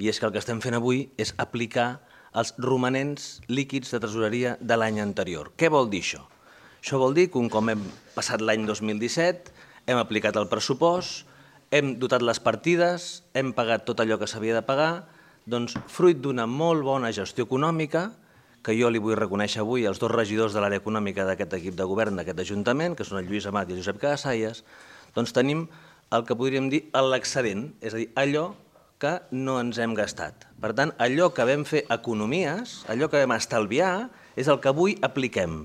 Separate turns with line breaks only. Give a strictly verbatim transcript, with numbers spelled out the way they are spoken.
I és que el que estem fent avui és aplicar els romanents líquids de tresoreria de l'any anterior. Què vol dir això? Això vol dir que un cop hem passat l'any dos mil disset, hem aplicat el pressupost, hem dotat les partides, hem pagat tot allò que s'havia de pagar, doncs fruit d'una molt bona gestió econòmica, que jo li vull reconèixer avui als dos regidors de l'àrea econòmica d'aquest equip de govern d'aquest Ajuntament, que són el Lluís Amat i el Josep Casasallas, doncs tenim el que podríem dir l'excedent, és a dir, allò que no ens hem gastat. Per tant, allò que vam fer economies, allò que vam estalviar, és el que avui apliquem.